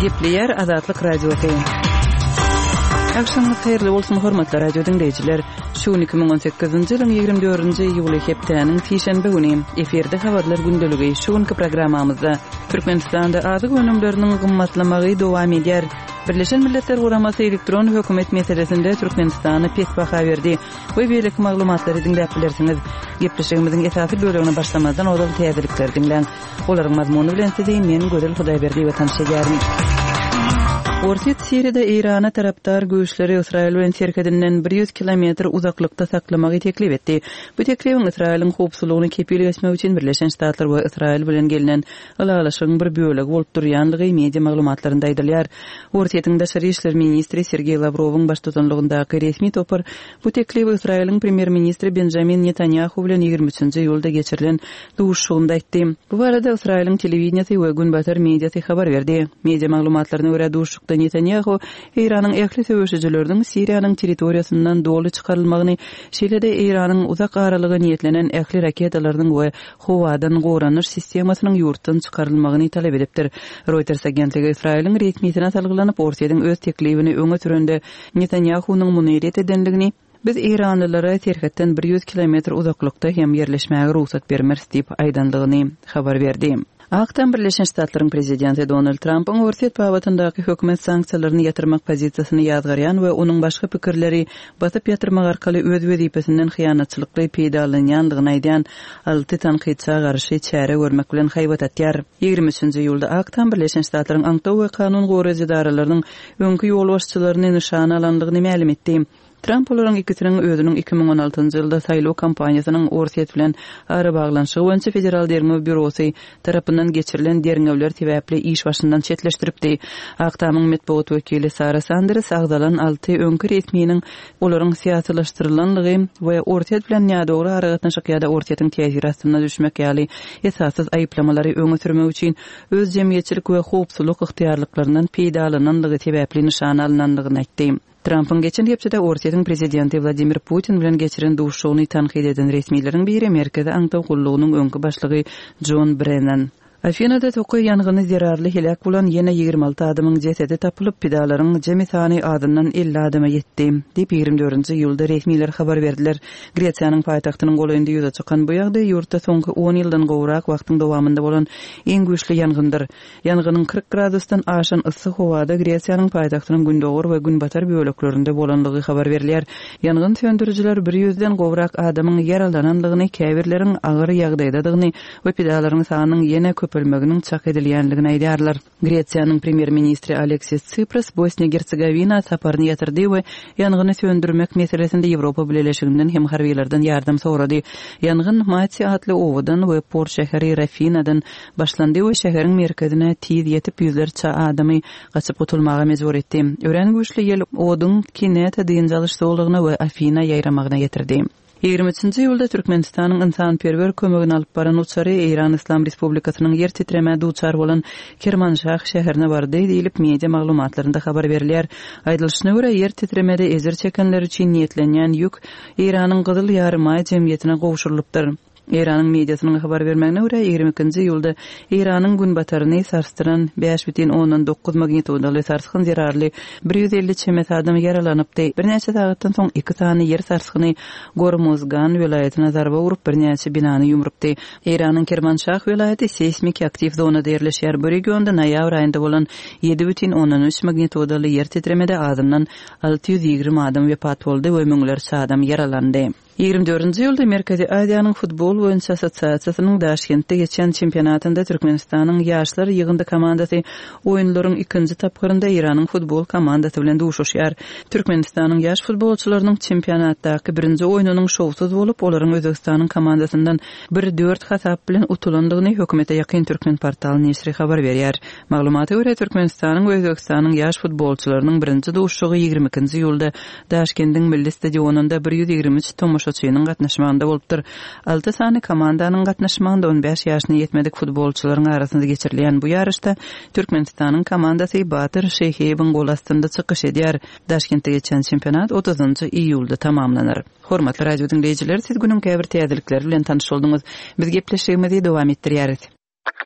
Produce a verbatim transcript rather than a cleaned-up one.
Gepleýär Azatlyk Radiosy. Agşamyňyz haýyrly bolsun, hormatly radio diňleýjiler. Şu gün iki müň on sekizinji ýylyň ýigrimi dördünji iýuly hepdäniň sişenbe güni. Efirde habarlar gündeligi. Şu günki programmamyzda Türkmenistanda azyk önümleriniň gymmatlamagy dowam edýär. Birleşen Milletler Guramasy elektron hökümet meselesinde Türkmenistana pes baha berdi we beýleki maglumatlary diňläp bilersiňiz. Gepleşigimiziň esasy bölegine başlamazdan ozal täzelikleri diňläň. Olaryň mazmuny bilen sizi men Gözel Hudaýberdiýewa tanyş edýärin. Orsýet Siriýada Eýrana tarapdar güýçleri Ysraýyl bilen serhedinden bir ýüz kilometr uzaklykda saklamagy teklip etdi. Bu teklibiň Ysraýylyň howpsuzlygyny kepil geçmek üçin Birleşen Ştatlar we Ysraýyl bilen gelnen ylalaşygyň bir bölegi bolup durýanlygy media maglumatlarynda aýdylýar. Orsýetiň daşary işler ministri Sergeý Lawrowyň baştutanlygyndaky resmi topar bu teklibi Ysraýylyň premýer-ministri Benjamin Netanýahu bilen ýigrimi üçünji iýulda geçirilen duşuşygynda aýtdy. Bu barada Ysraýylyň telewideniýesi we günbatar mediasy habar berdi. Media maglumatlaryna görä, duşuşykda Netanýahu Eýranyň ähli söweşijileriniň Siriýanyň territoriýasyndan doly çykarylmagyny, şeýle-de Eýranyň uzak aralyga niýetlenen ähli raketalarynyň we howadan goranyş sistemasynyň ýurtdan çykarylmagyny talap edipdir. Reuters agentligi Ysraýylyň resmisine salgylanyp, Orsýetiň öz teklibini öňe sürende Netanýahunyň muny ret edendigini, Biz eýranlylara serhetden bir ýüz kilometr uzaklykda hem ýerleşmäge rugsat bermeris diýip aýdandygyny habar berdi. Ak Tam Birleşen Ştatlaryň prezidenti Donald Trampyň Orsýet babatyndaky hökümet sanksiýalaryny ýatyrmak pozisiýasyny ýazgarýan we onuň başga pikirleri basyp ýatyrmak arkaly öz wezipesinden hyýanatçylykly peýdalanýandygyny aýdýan alty tankytça garşy çäre görmek bilen haýbat atýar. Ýigrimi üçünji iýulda Ak Tam Birleşen Ştatlaryň aňtaw we kanun goraýjy edaralarynyň öňki ýolbaşçylaryny nyşana alandygyny mälim etdi. Tramp olaryň ikisiniň özüniň iki müň on altynjy ýylda saýlaw kampaniýasynyň Orsýet bilen arabaglanyşygy boýunça Federal derňew býurosy tarapyndan geçirilen derňewler sebäpli iş başyndan çetleşdiripdi. Ak Tamyň metbugat wekili Sara Sanders agzalan alty öňki resminiň olaryň syýasylaşdyrylanlygy we Orsýet bilen nädogry aragatnaşyk ýa-da Orsýetiň täsiri astyna düşmek ýaly esassyz aýyplamalary öňe sürmek üçin öz jemgyýetçilik we howpsuzlyk ygtyýarlyklaryndan peýdalananlygy sebäpli nyşana alynanlygyny aýtdy. Trampyň geçen hepdede Orsýetiň prezidenti Wladimir Putin bilen geçiren duşuşygyny tankyt eden resmileriň biri Merkezi aňtaw gullugynyň öňki başlygy Jon Brennan. Afinada tokaý ýangyny zerarly heläk bolan ýene ýigrimi alty adamyň jesedi tapylyp, pidalaryň jemi sany azyndan elli adama ýetdi, diýip, ýigrimi dördünji iýulda resmiler habar berdiler. Gresiýanyň paýtagtynyň golaýynda ýüze çykan bu ýagdaý ýurtda soňky on ýyldan gowrak wagtyň dowamynda bolan iň güýçli ýangyndyr. Ýangynyň kyrk gradusdan aşan yssy howada Gresiýanyň paýtagtynyň gündogar we günbatar böleklerinde bolandygy habar berilýär. Ýangyn söndürijiler bir ýüzden gowrak adamyň ýaralanandygyny, käbirleriň agyr ýagdaýdadygyny we pidalaryň sanynyň ýene köpelmeginiň çak edilýändigini aýdýarlar. Gresiýanyň premýer-ministri Aleksis Tsipras Bosniýa-Gersegowina saparyny ýatyrdy we ýangyny söndürmek meselesinde Ýewropa Bileleşiginden hem harbylardan ýardam sorady. Ýangyn Mati atly obadan we port şäheri Rafinadan başlandy we şäheriň merkezine tiz ýetip, ýüzlerçe adamy gaçyp gutulmaga mejbur etdi. Örän güýçli ýel oduň Kineta dynç alyş zolagyna we Afina ýaýramagyna getirdi. Ýigrimi üçünji iýulda Türkmenistanyň ynsanperwer kömegini alyp baran uçary Eýran Yslam Respublikasynyň ýer titremä duçar bolan Kermanşah şäherine bardy diýlip, media maglumatlarynda habar berilýär. Aýdylyşyna görä, ýer titremede ejir çekenler üçin niýetlenýän ýük Eýranyň Gyzyl Ýarymaý jemgyýetine gowşurylypdyr. Eýranyň mediasynyň habar bermegine görä, ýigrimi ikinji iýulda Eýranyň günbataryny sarsdyran bäş bütin ondan dokuz magnitudaly sarsgyn zerarly bir ýüz elli çemesi adam ýaralanypdy. Birnäçe sagatdan soň iki sany ýer sarsgyny Gormuzgan welaýatyna zarba urup, birnäçe binany ýumrupdy. Eýranyň Kermanşah welaýaty seýsmiki aktiw zonada ýerleşýär. Bu regionda noýabr aýynda bolan ýedi bütin ondan üç magnitudaly ýer titremede azyndan alty ýüz ýigrimi adam wepat boldy we müňlerçe adam ýaralandy. Ýigrimi dördünji iýulda Merkezi Aziýanyň futbol boýunça assosiasiýasynyň Daşkentde geçen çempionatynda Türkmenistanyň ýaşlar ýygyndy komandasy oýunlaryň ikinji tapgyrynda Eýranyň futbol komandasy bilen duşuşýar. Türkmenistanyň ýaş futbolçylarynyň çempionatdaky birinji oýnunyň şowsuz bolup, olaryň Özbegistanyň komandasyndan bir dört hasap bilen utulandygyny hökümete ýakyn Türkmenportal neşiri habar berýär. Maglumata görä, Türkmenistanyň we Özbegistanyň ýaş futbolçylarynyň birinji duşuşygy ýigrimi ikinji iýulda Daşkendiň milli stadionynda bir ýüz ýigrimi üç tomaşaçynyň gatnaşmagynda bolupdyr. Alty sany komandanyň gatnaşmagynda on bäş ýaşyna ýetmedik futbolçylaryň arasynda geçirilýän bu ýaryşda Türkmenistanyň komandasy Batyr Şeýhiýewiň gol astynda çykyş edýär. Daşkentde geçen çempionat otuzynjy iýulda tamamlanar. Hormatly radio diňleýjiler, siz günüň käbir täzelikleri bilen tanyş bolduňyz. Biz gepleşigimizi dowam etdirýäris.